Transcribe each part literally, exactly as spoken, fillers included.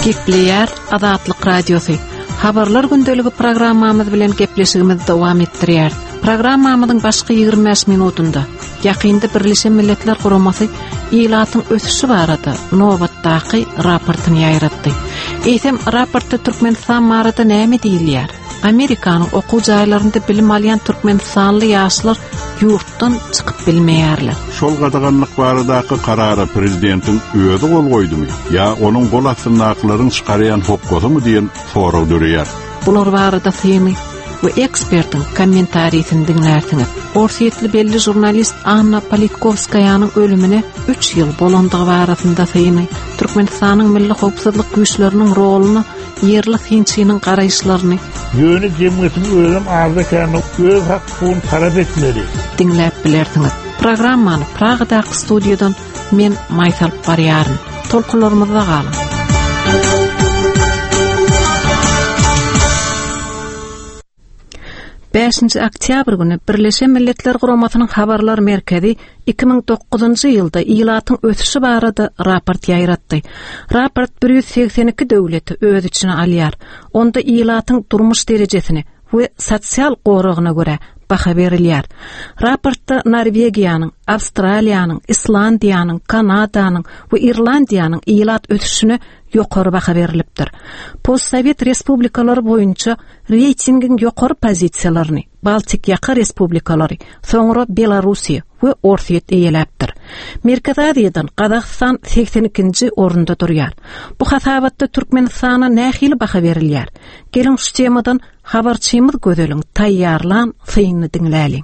Gepleýär Azatlyk Radiosy. Habarlar gündeligi programmamyz bilen gepleşigimizi dowam etdirýär. Programmamyzyň başky ýigrimi bäş minutynda ýakynda Birleşen Milletler Guramasy ilatyň ösüşi barada nobatdaky raportyny ýaýratdy. Eýsem, raportda Türkmenistan barada näme diýilýär? Amerikanyň okuw jaýlarynda bilim alýan türkmenistanly ýaşlar ýurtdan çykyp bilmeýärler. Şol gadaganlyk baradaky karara prezidentiň özi gol goýdumy ýa onuň gol astyndakylaryň çykarýan hokgasymy diýen sorag döreýär. Bular barada syny we ekspertiň kommentarisini diňlärsiňiz. Orsýetli belli žurnalist Anna Politkovskaýanyň ölümine üç ýyl bolandygy barasynda syny, Türkmenistanyň milli howpsuzlyk güýçleriniň roluny, ýerli synçynyň garaýyşlaryny Ýöne jemgyýetiň özem arda kände öz hak-hukugyny talap etmeli. Diňläp bilersiňiz. Programmany Pragadaky studiýadan men Maýsa alyp barýaryn. Tolkunlarymyzda galyň. Bäşinji oktýabr güni Birleşen Milletler Guramasynyň Habarlar merkezi iki müň dokuzynjy ýylda ilatyň ösüşi barada raport ýaýratdy. Raport bir ýüz segsen iki döwleti öz içine alýar. Onda ilatyň durmuş derejesini we sosial goragyna görä baha berilýär. Raportda Norwegiýanyň, Awstraliýanyň, Islandiýanyň, Kanadanyň we Irlandiýanyň ilat ösüşine ýokary baha berilipdir. Postsowet respublikalary boýunça reýtingiň ýokary pozisiýalaryny Baltik ýaka respublikalary, soňra Belarusiýa we Orsýet eýeläpdir. Merkezi Aziýadan Gazagystan segsen ikinji orunda durýar. Bu hasabatda Türkmenistana nähili baha berilýär? Geliň şu temadan habarçymyz Gözeliň taýýarlan synyny diňläliň.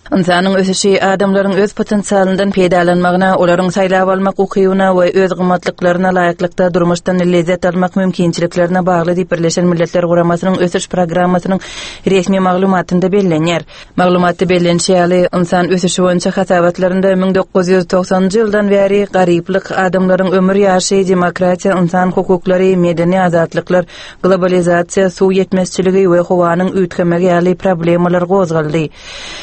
Ynsanyň ösüşi adamlaryň öz potensialyndan peýdalanmagyna, olaryň saýlap almak ukybyna we öz gymmatlyklaryna laýyklykda durmuşdan lezzet almak mümkinçiliklerine bagly diýip Birleşen Milletler Guramasynyň ösüş programmasynyň resmi maglumatynda bellenýär. Maglumatda bellenişi ýaly, ynsan ösüşi boýunça hasabatlarynda müň dokuz ýüz togsanynjy ýyldan bäri garyplyk, adamlaryň ömür ýaşy, demokratiýa, ynsan hukuklary, medeni azatlyklar, globalizasiýa, suw ýetmezçiligi we howanyň üýtgemegi ýaly problemalar gozgaldy.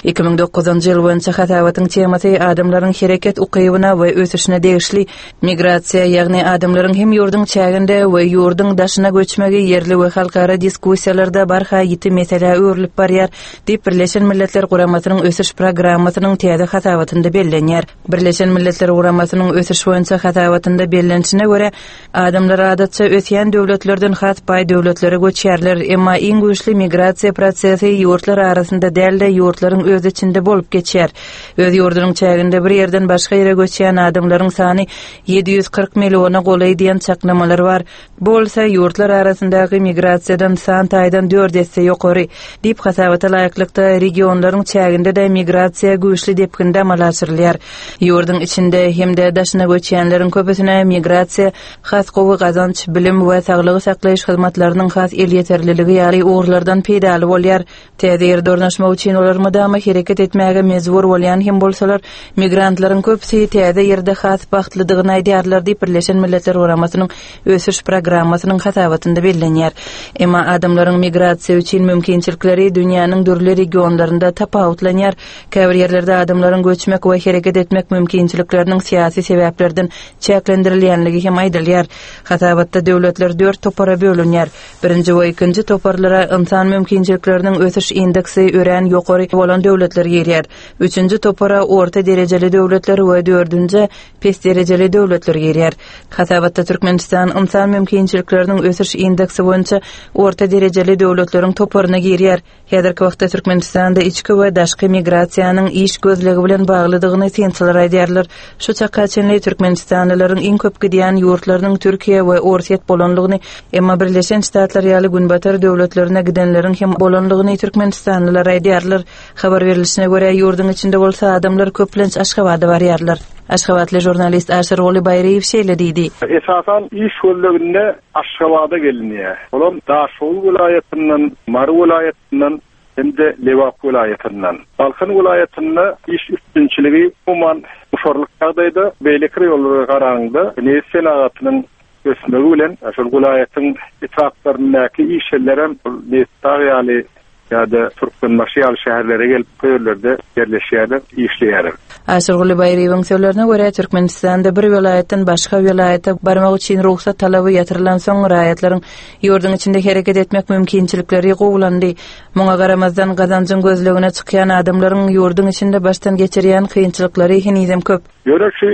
Iki müň dokuzynjy ýyl boýunça hasabatyň temasy adamlaryň hereket ukybyna we ösüşine degişli migrasiýa, ýagny adamlaryň hem ýurduň çäginde we ýurduň daşyna göçmegi ýerli we halkara diskussiýalarda barha ýiti meselä öwrülip barýar diýip Birleşen Milletler Guramasynyň ösüş programmasynyň täze hasabatynda bellenýär. Birleşen Milletler Guramasynyň ösüş boýunça hasabatynda bellenişine görä, adamlar adatça ösýän döwletlerden has baý döwletlere göçýärler, emma iň güýçli migrasiýa prosesi ýurtlar arasynda däl-de ýurtlaryň öz içinde bolup geçýär. Öz ýurdunyň çäginde bir ýerden başga ýere göçýän adamlaryň sany ýedi ýüz kyrk milliona golaý diýen çaklamalar bar. Bu bolsa ýurtlar arasyndaky migrasiýadan san taýdan dört esse ýokary diýip hasabata laýyklykda regionlaryň çäginde-de migrasiýa güýçli depginde amala aşyrylýar. Ýurduň içinde hem-de daşyna göçýänleriň köpüsine migrasiýa has gowy gazanç, bilim we saglygy saklaýyş hyzmatlarynyň has elýeterliligi ýaly ugurlardan peýdaly bolýar. Täze ýerde ornaşmak üçin olar mydama hereket etmäge mejbur bolýan hem bolsalar, migrantlaryň köpüsi täze ýerde has bagtlydygyny aýdýarlar diýip Birleşen Milletler Guramasynyň ösüş programmasynyň hasabatynda bellenýär. Emma adamlaryň migrasiýa üçin mümkinçilikleri dünýäniň dürli regionlarynda tapawutlanýar. Käbir ýerlerde adamlaryň göçmek we hereket etmek mümkinçilikleriniň syýasy sebäplerden çäklendirilýänligi hem aýdylýar. Hasabatda döwletler dört topara bölünýär. Birinji we ikinji toparlara ynsan mümkinçilikleriniň ösüş indeksi örän ýokary bolan döwletler girýär. Üçünji topara orta derejeli döwletler we dördünji pes derejeli döwletler girýär. Hasabatda Türkmenistan ynsan mümkinçilikleriniň ösüş indeksi boýunça orta derejeli döwletleriň toparyna girýär. Häzirki wagtda Türkmenistanda içki we daşky migrasiýanyň iş gözlegi bilen baglydygyny synçylar aýdýarlar. Şu çaka çenli Türkmenistanlylaryň iň köp gidýän ýurtlarynyň Türkiýe we Orsýet bolanlygyny, emma Birleşen Ştatlar ýaly günbatar döwletlerine gidenleriň hem bolanlygyny Türkmenistanlylar aýdýarlar. Habar berilişine görä, ýurduň içinde bolsa adamlar köplenç Aşgabada barýarlar. Aşgabatly žurnalist Aşyrguly Baýryýew şeýle diýdi. Esasan iş gözleginde Aşgabada gelinýär. Olam Daşoguz welaýatyndan, Mary welaýatyndan hem-de Lebap welaýatyndan. Balkan welaýatynda iş üstünçiligi umuman muşarlyk ýagdaýda, beýleki ýollara garanda nebit senagatynyň ösmegi bilen şol welaýatyň etraplaryndaky iş ýerlerem nebit dag ýaly ýa-da Türkmenbaşy ýaly şäherlere gelip bu ýerlerde ýerleşýärler, işleýärler. Aşyrguly Baýryýewiň sözlerine görä, Türkmenistanda bir welaýatdan başga welaýata barmak üçin rugsat talaby ýatyrylansoň, raýatlaryň ýurduň içinde hereket etmek mümkinçilikleri gowulandy. Muňa garamazdan, gazanjyň gözlegine çykýan adamlaryň ýurduň içinde başdan geçirýän kynçylyklary henizem köp. Ýöne şu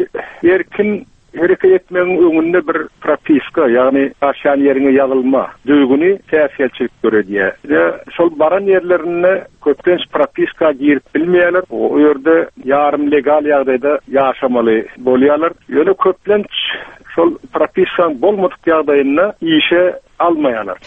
erkin hereket etmegiň öňünde bir propiska, ýagny ýaşaýan ýeriňe ýazylma düzgüni päsgelçilik döredýär. We şol baran ýerlerinde köplenç propiska girip bilmeýärler. O ýerde ýarym legal ýagdaýda ýaşamaly bolýarlar. Ýöne köplenç şol propiskaň bolmadyk ýagdaýynda işe almaýarlar.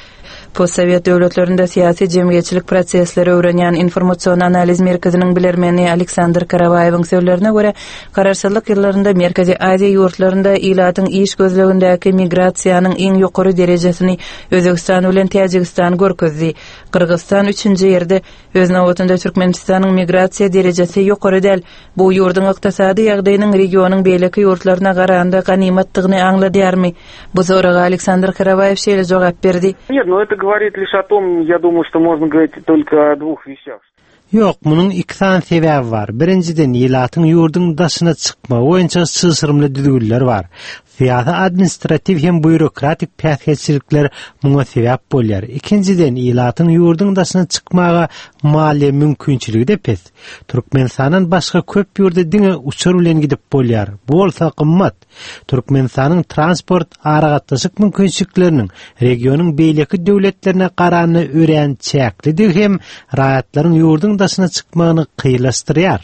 Postsowet döwletlerinde syýasy-jemgyýetçilik prosesleri öwrenýän Informasion analiz merkeziniň bilermeni Aleksandr Karawaýewiň sözlerine görä, garaşsyzlyk ýyllarynda Merkezi Aziýa ýurtlarynda ilatyň iş gözlegindäki migrasiýanyň iň ýokary derejesini Özbegistan bilen Täjigistan görkezdi. Gyrgyzystan üçünji ýerde. Öz nobatynda Türkmenistanyň migrasiýa derejesi ýokary däl. Bu ýurduň ykdysady ýagdaýynyň regionyň beýleki ýurtlaryna garanda ganymatdygyny aňladýarmy? Bu soraga Aleksandr Karawaýew şeýle jogap berdi. Нет, ну это говорит лишь о том, я думаю, что можно говорить только о двух вещах. Ýok, munuň iki sany sebäbi bar. Birinjiden, ilatyň ýurduň daşyna çykmagy boýunça çylşyrymly düzgünler bar. Syýasy, administratiw hem býurokratik päsgelçilikler muňa sebäp bolýar. Ikinjiden, ilatyň ýurduň daşyna çykmaga maliýe mümkinçiligi-de pes. Türkmenistandan başga köp ýurda diňe uçar bilen gidip bolýar. Bu bolsa gymmat. Türkmenistanyň transport aragatnaşyk mümkinçilikleriniň regionyň beýleki döwletlerine garanda örän çäklidigi hem raýatlaryň ýurduň daşyna çykmagyny kynlaşdyrýar.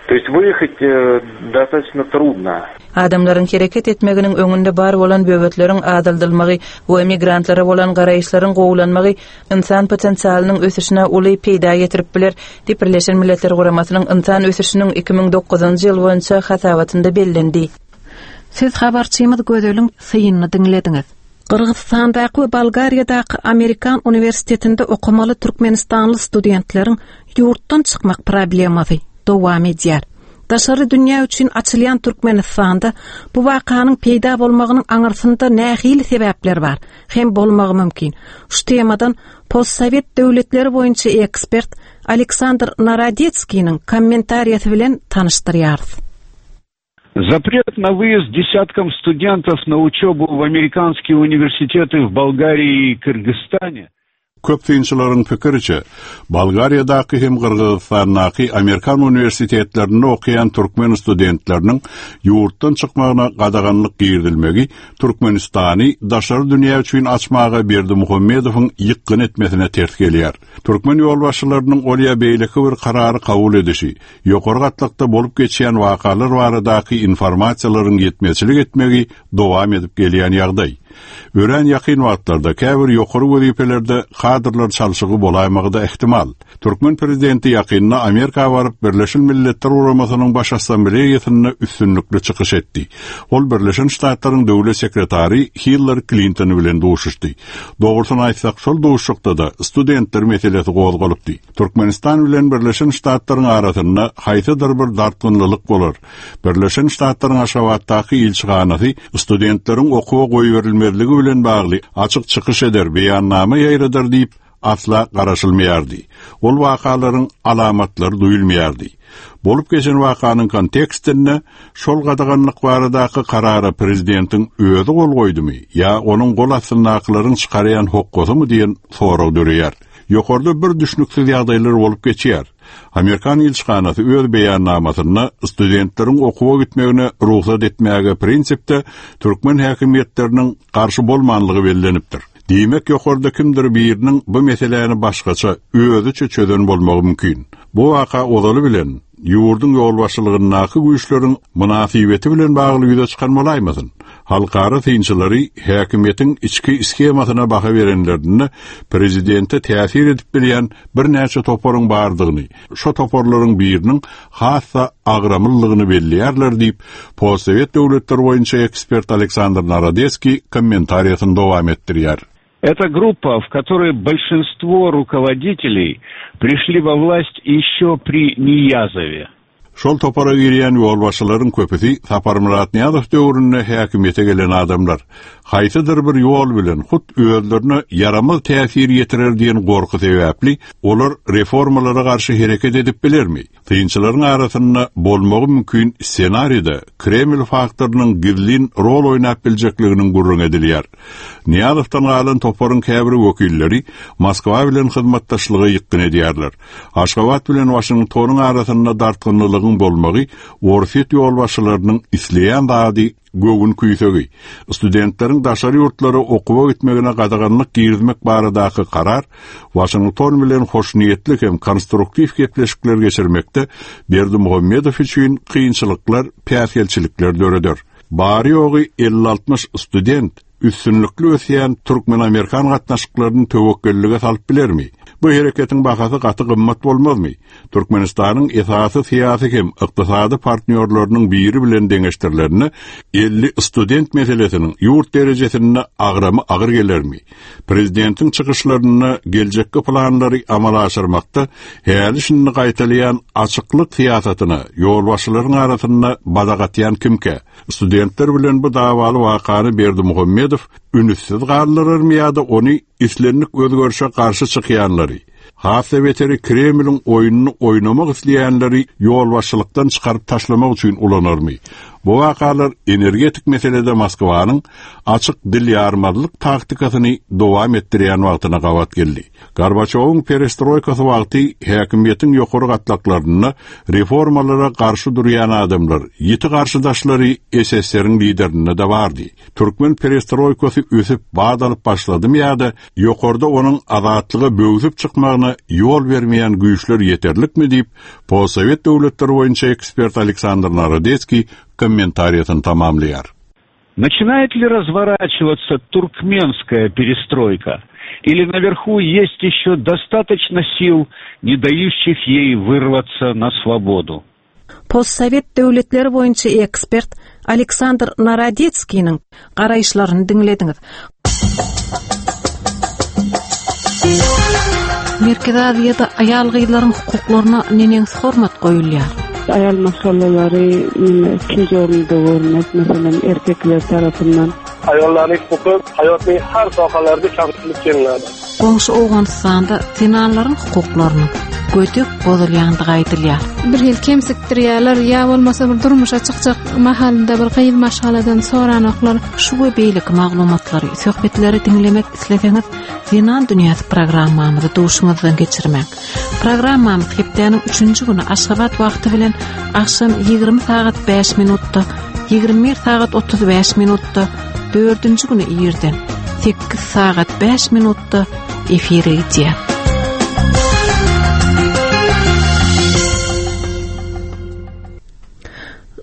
То есть выехать э, достаточно трудно. Adamlaryň hereket etmeginiň öňünde bar bolan böwetleriň azaldylmagy we migrantlara bolan garaýyşlaryň gowulanmagy ynsan potensialynyň ösüşine uly peýda getirip biler, diýip Birleşen Milletler Guramasynyň ynsan ösüşiniň iki müň dokuzynjy ýyl boýunça hasabatynda bellendi. Siz habarçymyz Gözeliň synyny diňlediňiz. Gyrgyzystandaky we Bolgariýadaky Amerikan uniwersitetinde okamaly türkmenistanly studentleriň ýurtdan çykmak problemasy dowam edýär. Daşary dünýä üçin açylýan Türkmenistanda bu wakanyň peýda bolmagynyň aňyrsynda nähili sebäpler bar, hem bolmagy mümkin. Şu temadan postsowet döwletleri boýunça ekspert Aleksandr Narodetskiniň kommentariýasy bilen tanyşdyrýarys. Запрет на выезд десяткам студентов на учебу в американские университеты в Болгарии и Кыргызстане. Köp synçylaryň pikiriçe, Bolgariýadaky hem Gyrgyzystandaky Amerikan uniwersitetlerinde okaýan türkmen studentleriniň ýurtdan çykmagyna gadaganlyk girizilmegi Türkmenistany daşary dünýä üçin açmaga Berdimuhamedowyň ýykgyn etmesine ters gelýär. Türkmen ýolbaşçylarynyň ol ýa beýleki bir karary kabul edişi, ýokary gatlakda bolup geçýän wakalar baradaky informasiýalaryň ýetmezçilik etmegi dowam edip gelýän ýagdaý. Örän ýakyn wagtlarda käbir ýokary wezipelerde kadrlar çalşygy bolaýmagy-da ähtimal. Türkmen prezidenti ýakynda Amerika baryp Birleşen Milletler Guramasynyň Baş Assambleýasynda üstünlikli çykyş etdi. Ol Birleşen Ştatlaryň döwlet sekretary Hillary Clinton bilen duşuşdy. Dogrusyny aýtsak, şol duşuşykda-da studentler meselesi gozgalypdy. Türkmenistan bilen Birleşen Ştatlaryň arasynda haýsydyr bir dartgynlylyk bolar. Birleşen Ştatlaryň Aşgabatdaky ilçihanasy studentleriň okuwa goýberilmezligi bilen bagly açyk çykyş eder, beýannama ýaýradar diýip asla garaşylmaýardy. Ol wakalaryň alamatlary duýulmaýardy. Bolup geçen wakanyň kontekstinde şol gadaganlyk baradaky karara prezidentiň özi gol goýdumy ýa onuň gol astyndakylaryň çykarýan hokgasymy diýen sorag döreýär. Ýokarda bir düşnüksiz ýagdaýlar bolup geçýär. Amerikan ilçihanasy öz beýannamasynda studentleriň okuwa gitmegine rugsat etmäge prinsipde türkmen häkimiýetleriniň garşy bolmanlygy bellenipdir. Diýmek ýokarda kimdir biriniň bu meseläni başgaça özüçe çözen bolmagy mümkin. Bu waka ozaly bilen ýurduň ýolbaşçylygyndaky güýçleriň mynasybeti bilen bagly ýüze çykan bolaýmasyn. Halkara synçylary häkimiýetiň içki shemasyna baha berenlerinde prezidente täsir edip bilýän birnäçe toparyň bardygyny, şo toparlaryň biriniň hassa agramlylygyny belleýärler diýip, postsowet döwletleri boýunça ekspert Aleksandr Narodetskiý kommentariýasyny dowam etdirýär. Это группа, в которой большинство руководителей пришли во власть еще при Ниязове. Şol topara girýän ýolbaşçylaryň köpüsi Saparmyrat Nyýazow döwründe häkimiýete gelen adamlar. Haýsydyr bir ýol bilen hut özlerine ýaramaz täsir ýetirer diýen gorky sebäpli olar reformalara garşy hereket edip bilermi? Synçylaryň arasynda bolmagy mümkin ssenaride Kreml faktorynyň gizlin rol oýnap biljekliginiň gürrüň edilýär. Nyýazowdan galan toparyň käbir wekilleri Moskwa bilen hyzmatdaşlyga ýykgyn edýärler. Aşgabat bilen Waşingtonyň arasynda dartgynlylygyň bolmagy Orsýet ýolbaşçylarynyň isleýän zady göwün küýsegi. Studentleriň daşary ýurtlara okuwa gitmegine gadaganlyk girizmek baradaky karar Waşington bilen hoşniýetli hem konstruktiw gepleşikler geçirmekde Berdimuhamedow üçin kynçylyklar, päsgelçilikler döreder. Bary ýogy elli altmyş student üstünlikli ösýän Türkmen-Amerikan gatnaşyklaryny töwekgellige salyp bilermi? Bu hereketiň bahasy gaty gymmat bolmazmy? Türkmenistanyň esasy syýasy hem ykdysady partnýorlarynyň biri bilen deňeşdirilerinde elli student meselesiniň ýurt derejesinde agramy agyr gelermi? Prezidentiň çykyşlarynda geljekki planlary amala aşyrmakda häli şindi gaýtalaýan açyklyk syýasatyna ýolbaşçylaryň arasynda badak atýan kimkä? Studentler bilen bu dawaly wakany Berdimuhamedow ünüssiz galdyrarmy ýa-da ony islendik özgerişe garşy çykýanlary, has beteri Kremliň oýnuny oýnamak isleýänleri ýolbaşçylykdan çykaryp taşlamak üçin ulanarmy? Bu wakalar energetik meselede Moskwanyň açyk dil ýarmazlyk taktikasyny dowam etdirýän wagtyna gabat geldi. Gorbaçowyň perestroýkasy wagty häkimiýetiň ýokary gatlaklarynda reformalara garşy durýan adamlar, ýiti garşydaşlary S S R-iň liderinde de bardy. Türkmen perestroýkasy ösüp bad alyp başladymy ýa-da ýokarda onuň azatlyga böwsüp çykmagyna ýol bermeýän güýçler ýeterlikmi diýip, postsowet döwletleri boýunça ekspert Aleksandr Narodetskiý kommentariýasyny tamamlaýar. Начинает ли разворачиваться туркменская перестройка? Или наверху есть еще достаточно сил, не дающих ей вырваться на свободу? Postsowet döwletleri boýunça ekspert Aleksandr Narodetskiniň garaýyşlaryny diňlediňiz. Merkezi Aziýada aýal gyzlaryň hukuklaryna neneňsi hormat goýulýar? Aýal maşgalalary ikinji orunda görmek, meselem, erkekler tarapyndan. Ayollarning huquqi hayotning har sohalarida kamsitilib kelinadi. Goňşy Owganystanda zenanlaryň hukuklarynyň gödek bozulýandygy aýdylýar. Bir hil kemsikdirýärler, ýa bolmasa bir durmuşa çykjak mahalynda bir gyz maşgaladan soranoklar. Şu we beýleki maglumatlary, söhbetleri diňlemek isleseňiz, Zenan Dünýäsi programmamyzy duşuňyzdan geçirmek. Programmamyz hepdäniň üçünji güni Aşgabat wagty bilen akşam ýigrimi sagat bäş minutda, ýigrimi bir sagat otuz bäş minutda, dördünji güni irden sekiz sagat bäş minutda efire gidýär.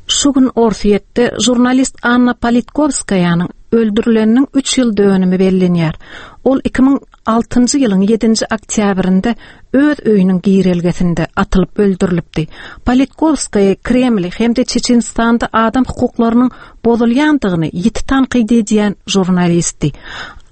Şu gün Orsýetde jurnalist Anna Politkovskaýanyň öldürileniniň üç ýyl dönümi bellenýär. Ol iki müň altynjy ýylyň ýedinji oktýabrynda öz öýüniň girelgesinde atylyp öldürilipdi. Politkovskaya Kreml hem-de Çeçenistanda adam hukuklarynyň bozulýandygyny ýiti tankyt edýän jurnalistdi.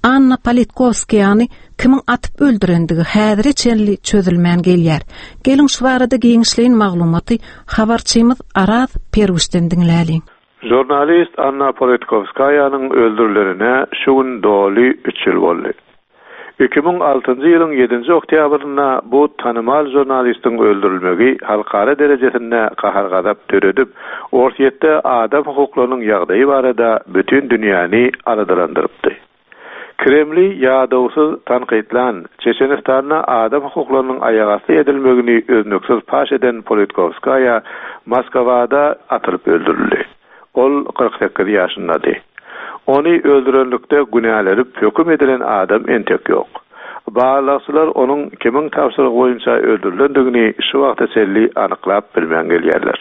Anna Politkovskayany kimiň atyp öldürendigi häzire çenli çözülmän gelýär. Geliň şu barada giňişleýin maglumaty habarçymyz Araz Perwişden diňläliň. Jurnalist Anna Politkovskayanyň öldürilenine şu gün doly üç ýyl boldy. Iki müň altynjy ýylyň ýedinji oktýabrynda bu tanymal jurnalistiň öldürilmegi halkara derejesinde gahar-gazap döredip, Orsýetde adam hukuklarynyň ýagdaýy barada bütün dünýäni aladalandyrypdy. Kremli ýadawsyz tankytlan, Çeçenistanda adam hukuklarynyň aýagasty edilmegini öznüksiz paş eden Politkovskaya Moskwada atylyp öldürildi. Ol kyrk sekiz ýaşyndady. Ony öldürenlikde günälenip höküm edilen adam entek ýok. Barlagçylar onuň kimiň tabşyrygy boýunça öldürilendigini şu wagta çenli anyklap bilmän gelýärler.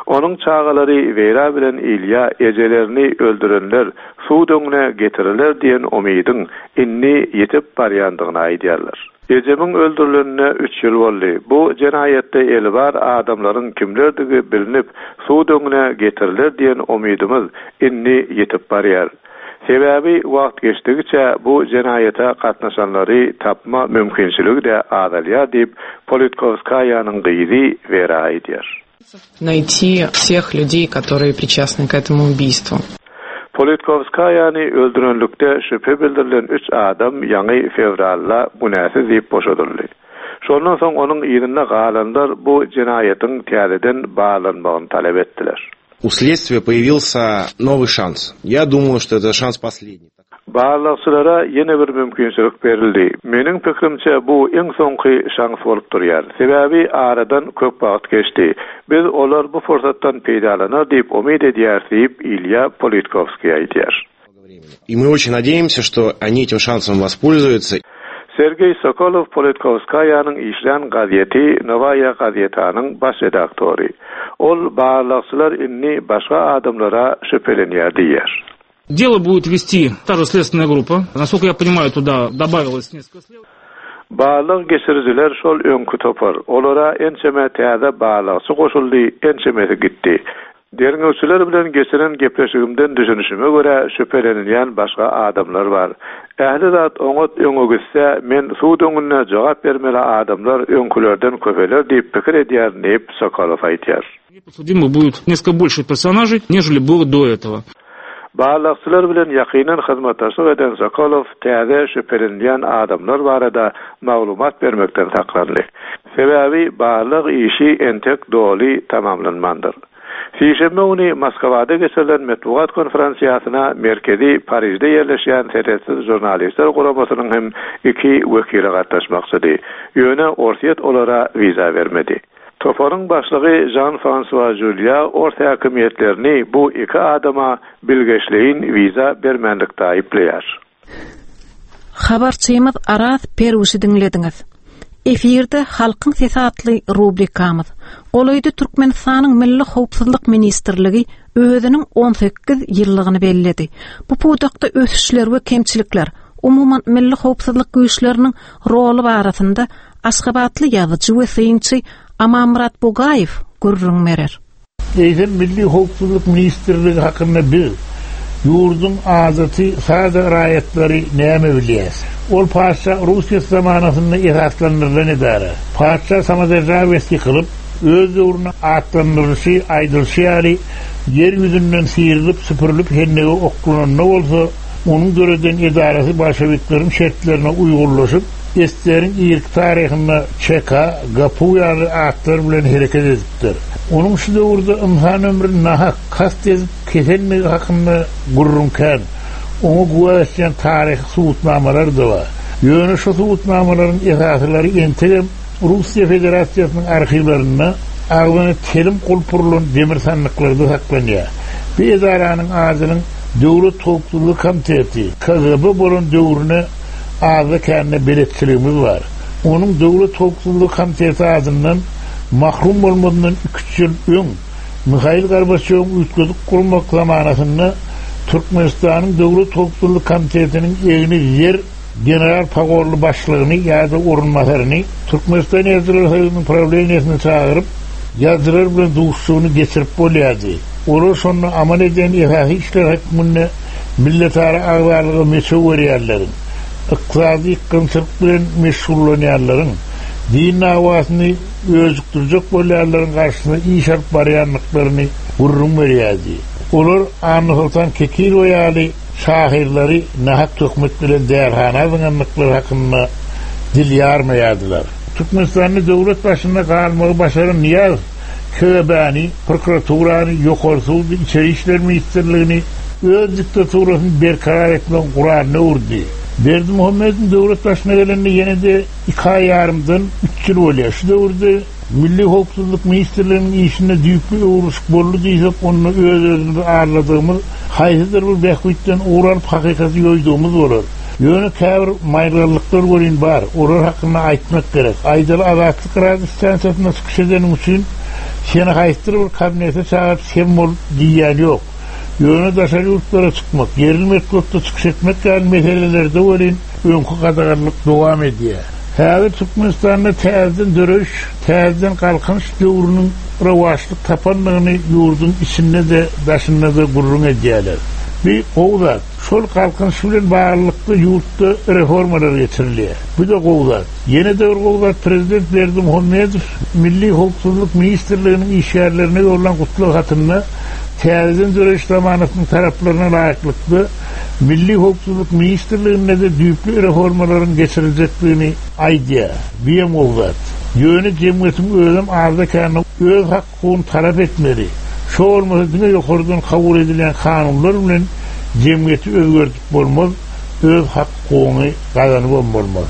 Onuň çagalary Wera bilen Ilýa ejelerini öldürenler sud öňüne getiriler diýen umydyň indi ýetip barýandygyny aýdýarlar. Ejemiň öldürilenine üç ýyl boldy. Bu jenaýatda eli bar adamlaryň kimlerdigi bilinip sud öňüne getiriler diýen umydymyz indi ýetip barýar. Sebäbi wagt geçdigiçe bu jenaýata gatnaşanlary tapma mümkinçiligi de azalýar diýip Politkovskaýanyň gyzy Wera aýdýar. Найти всех людей, которые причастны к этому убийству. Politkowskaýany öldürenlikde şübhe bildirilen üç adam ýaňy fewralda günäsiz diýip boşadyldy. Şondan soň onuň yzynda galanlar bu jenaýatyň täzeden barlanmagyny talap etdiler. У следствия появился новый шанс. Я думаю, что это шанс последний. Barlagçylara ýene bir mümkinçilik berildi. Meniň pikirimçe bu iň soňky şans bolup durýar. Sebäbi aradan köp wagt geçdi. Biz olar bu pursatdan peýdalanar diýip umyt edýäris diýip Ilýa Politkowskiý aýdýar. И мы очень надеемся, что они этим шансом воспользуются. Sergeý Sokolow Politkowskaýanyň işlän gazeti Nowaýa gazetanyň baş redaktory. Ol barlagçylar indi başga adamlara şübhelenýär diýýär. Дело будет вести та же следственная группа. Насколько я понимаю, туда добавилось несколько следователей. Barlag geçirijiler şol öňki topar. Olara ençeme täze barlagçy goşuldy, ençemesi gitdi. Derňewçiler bilen geçiren gepleşigimden düşünişime görä şübhelenilýän başga adamlar bar. Ähli zat oňat öňe gitse, men sud öňünde jogap bermeli adamlar öňkülerden köpeler diýip pikir edýärin diýip Sokolow aýdýar. Подсудимых будет несколько больше персонажей, нежели было до этого. Barlagçylar bilen ýakyndan hyzmatdaşlyk eden Sokolow täze şübhelenilýän adamlar barada maglumat bermekden saklandy. Sebäbi barlag işi entek doly tamamlanmandyr. Sişenbe güni Moskwada geçirilen metbugat konferensiýasyna merkezi Parižde ýerleşýän Serhetsiz žurnalistler guramasynyň hem iki wekili gatnaşmakçydy. Ýöne Orsýet olara wiza bermedi. Toparyň başlygy Jean-François Julia ors häkimiýetlerini bu iki adama bilgeşleýin wiza bermänlikde aýyplaýar. Habarçymyz Araz Perwişi diňlediňiz. Efirde Halkyň sesi atly rubrikamyz. Golaýda Türkmenistanyň Milli Howpsuzlyk Ministrligi özüniň on sekiz ýyllygyny belledi. Bu pudakda ösüşler we kemçilikler, umuman milli howpsuzlyk güýçleriniň roly barasynda Aşgabatly ýazyjy we synçy Amanmyrat Bugaýew gürrüň berer. Eýsem Milli Howpsuzlyk Ministrligi hakynda biz ýurduň adaty sada raýatlary näme bilýär? Ol patyşa Russiýa zamanasynda esaslandyrylan edara. Patyşa samoderjawesi ýykylyp, öz döwrüne atlandyrylyşy aýdylyşy ýaly ýer ýüzünden syrylyp, süpürilip hennege oklananda bolsa, onuň döreden edarasy bolşewikleriň şertlerine uýgunlaşyp, Estleriň irki taryhynda Çeka, Gapu ýaly atlar bilen hereket edipdir. Onuň şu döwürde ynsan ömrüni nahak kast edip kesenligi hakynda gürrüň kän. Oňa güwä geçýän taryhy subutnamalar da bar. Ýöne şu subutnamalaryň esasylary entegem Russiýa Federasiýasynyň arhiwlerinde agzyna telim gulpurylan demir sandyklarda saklanýar. Bu edaranyň adynyň Döwlet Howpsuzlyk Komiteti, K G B bolan döwrüne azda kände beletçiligimiz bar. Onuň Döwlet Howpsuzlyk Komiteti adyndan mahrum bolmadyndan iki ýyl öň Mihail Gorbaçýowyň üýtgedip gurmak zamanasynda Türkmenistanyň Döwlet Howpsuzlyk Komitetiniň egni ýer general pagorly başlygyny ýa-da orunbasaryny Türkmenistan Ýazyjylar Soýuzynyň prawleniýesine çagyryp, ýazyjylar bilen duşuşygyny geçirip bolýardy. Olar şonda amal eden esasy işler hökmünde milletara agzalyga meçew berýärleriň, ykdysady ýykgynçylyk bilen meşgullanýanlaryň, din dawasyny özükdirjek bolýanlaryň garşysyna iş alyp barýanlyklaryny gürrüň berýärdi. Olar Annasoltan Kekilowa ýaly şahyrlary nahak töhmet bilen därhana zyňanlyklary hakynda dil ýarmaýardylar. Türkmenistanda döwlet başynda galmagy başaran Nyýazow K G B-ni, prokuraturany, ýokary sudy, içeri işler ministrligini öz diktaturasyny berkarar etmegiň guralyna öwürdi. Berdimuhamedowň döwlet başyna gelende ýene de iki aý ýarymdan üç ýyl bolýar. Şu döwürde Milli Howpsuzlyk Ministrliginiň işinde düýpli öwrülişik boldy diýsek, onda öz-özümizi arladygymyz, haýsydyr bir bähbitden ugur alyp hakykaty ýoýdugymyz bolar. Ýöne käbir maýylgalyklar welin bar, olar hakynda aýtmak gerek. Aýdaly Azatlyk radio stansiýasynda çykyş edeniň üçin seni haýsydyr bir kabinete çagyryp sem bol diýýän ýok. Ýöne daşary ýurtlara çykmak, ýerli metbugatda çykyş etmek ýaly meselelerde welin öňki gadaganlyk dowam edýär. Häzir Türkmenistanda täzeden döreýiş, täzeden galkynyş döwrüniň rowaçlyk tapanlygyny ýurduň içinde de daşynda da gürrüň edýärler. Bir gowy zat. Şol galkynyş bilen baglylykda ýurtda reformalar geçirilýär. Bu-da gowy zat. Ýene-de bir gowy zat, prezident Berdimuhamedow Milli howpsuzlyk ministrliginiň işgärlerine ýollan gutlag hatynda täzeden döreýiş zamanasynyň taraplaryna laýyklykda Milli howpsuzlyk ministrliginde-de düýpli reformalaryň geçiriljekdigini aýdýar. Bu hem gowy zat. Ýöne jemgyýetiň özem azda-kände öz hak-hukugyny talap etmeli. Şo bolmasa diňe ýokardan kabul edilýän kanunlar bilen jemgyýeti özgerdip bolmaz, öz hak-hukugyňy gazanybam bolmaz.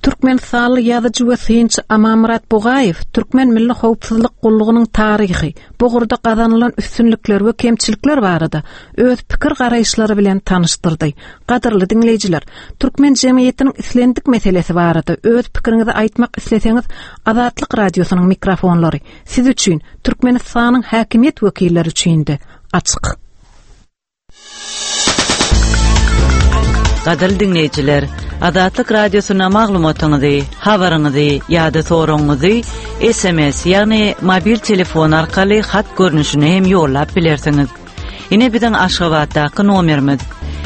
Türkmenistanly ýazyjy we synçy Amanmyrat Bugaýew Türkmen Milli Howpsuzlyk Gullugynyň taryhy, bu ugurda gazanylan üstünlikler we kemçilikler barada öz pikir garaýyşlary bilen tanyşdyrdy. Gadyrly diňleýjiler, türkmen jemgyýetiniň islendik meselesi barada öz pikiriňizi aýtmak isleseňiz, Azatlyk Radiosynyň mikrofonlary siz üçin, Türkmenistanyň häkimiýet wekilleri üçin-de açyk. Gadyrly diňleýjiler, Azatlyk Radiosyna maglumatyňyzy, habaryňyzy ýa-da soragyňyzy S M S, ýagny mobil telefon arkaly hat görnüşinde hem ýollap bilersiňiz. Ine biziň Aşgabatdaky nomerimiz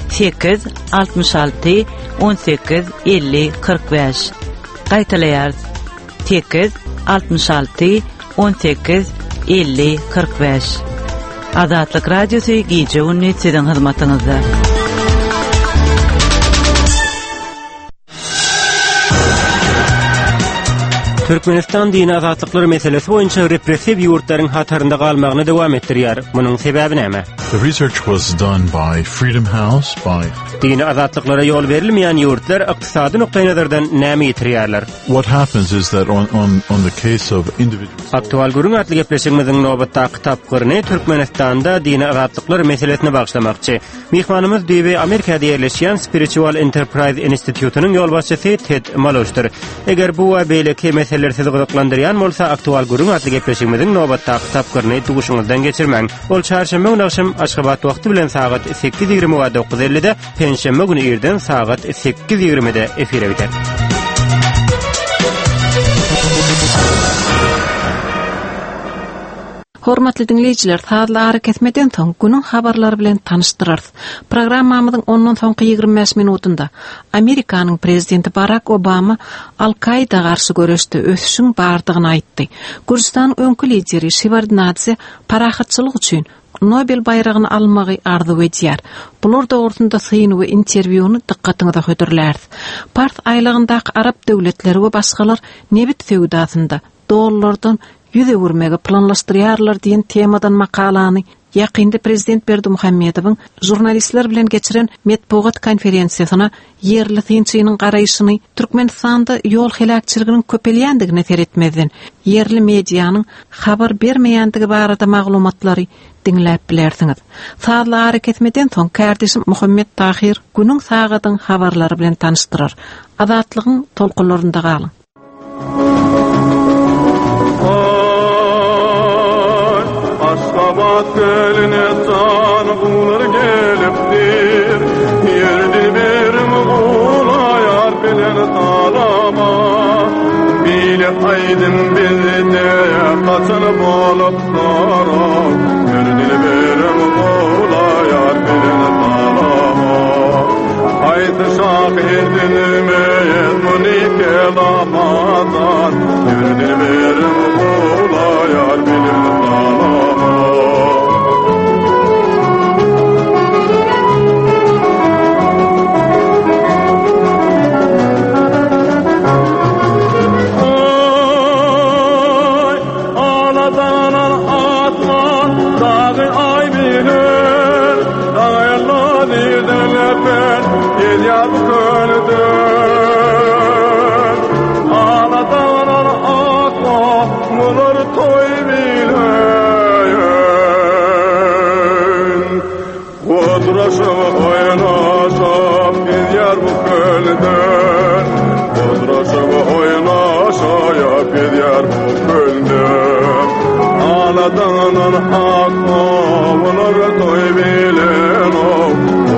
sekiz altmyş alty on sekiz elli kyrk bäş. Gaýtalaýarys. sekiz altmyş alty on sekiz elli kyrk bäş. Azatlyk Radiosy gije gündüz siziň hyzmatyňyzda. Türkmenistan dini azatlyklar meselesi boýunça repressiw ýurtlaryň hatarynda galmagyny dowam etdirýär. Munuň sebäbi näme? The research was done by Freedom House, by Dini azatlyklara ýol berilmeýän ýurtlar ykdysady nukdaýnazardan näme ýitirýärler? What happens is that on, on, on the case of individual Aktual gürrüň atly gepleşigimiziň nobatdaky tapgyryny Türkmenistanda dini azatlyklar meselesine bagyşlamakçy. Myhmanymyz düýbi Amerikada ýerleşýän Spiritual Enterprise Institutynyň ýolbaşçysy Ted Maloşdyr. Eger bu we beýleki meseleler sizi gyzyklandyrýan bolsa, Aktual gürrüň atly gepleşigimiziň nobatdaky tapgyryny duşuňyzdan geçirmäň. Ol çarşenbe güni agşam Aşgabat wagty bilen sagat sekiz ýigrimi we dokuz ellide, penşenbe güni irden sagat sekiz ýigrimide efire gider. Hormatly diňleýjiler, sazly ara kesmeden soň günüň habarlary bilen tanyşdyrarys. Programmamyzyň ondan soňky ýigrimi bäş minutynda Amerikanyň prezidenti Barack Obama Al-Kaida garşy göreşde ösüşiň bardygyny aýtdy. Gürjüstanyň öňki lideri Şewardnadze parahatçylyk üçin Nobel baýragyny almagy arzuw edýär. Bular dogrusynda syn we interwýuny dykgatyňyza hödürläris. Pars aýlagyndaky arap döwletleri we başgalar nebit söwdasynda dollardan ýüz öwürmegi planlaşdyrýarlar diýen temadan makalany, ýakynda prezident Berdimuhamedowyň žurnalistler bilen geçiren metbugat konferensiýasyna ýerli synçynyň garaýşyny, Türkmenistanda ýol heläkçiliginiň köpelýändigine seretmezden, ýerli medianyň habar bermeýändigi barada maglumatlary diňläp bilersiňiz. Sazly ara kesmeden soň kärdeşim Muhammet Tahir günüň sagadyň habarlary bilen tanyşdyrar. Azatlygyň tolkunlarynda galyň. Ay, Aşgabat kölüne can guwlar gelipdir. Ýer dilberim gulaýar bilen salama. Bile aýdym bizde kaçan bolup sara. Ýer dilberim gulaýar bilen salama. Haýsy şahyr dinmez muny kelamadan. Ýer dilberim gulaýar bilen salama. Ay, aladanan atman, dagy ay bilen, dagayla dirden öpen, gelýär bu kölden. Aladanan atman, mular toý bilen. Odraşyp oýnaşyp gelýär bu kölden. Odraşyp oýnaşyp gelýär bu kölden. Aladanan atman, toý bilen.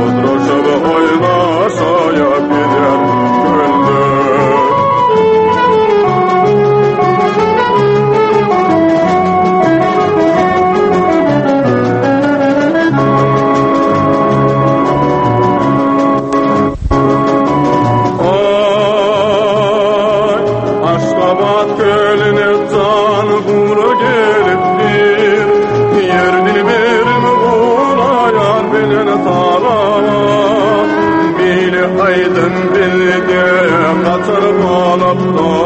Odraşyp oýnaşyp gelýär bu kölden. bilen talama Biri aýdym bilde gatyr bolupdyr.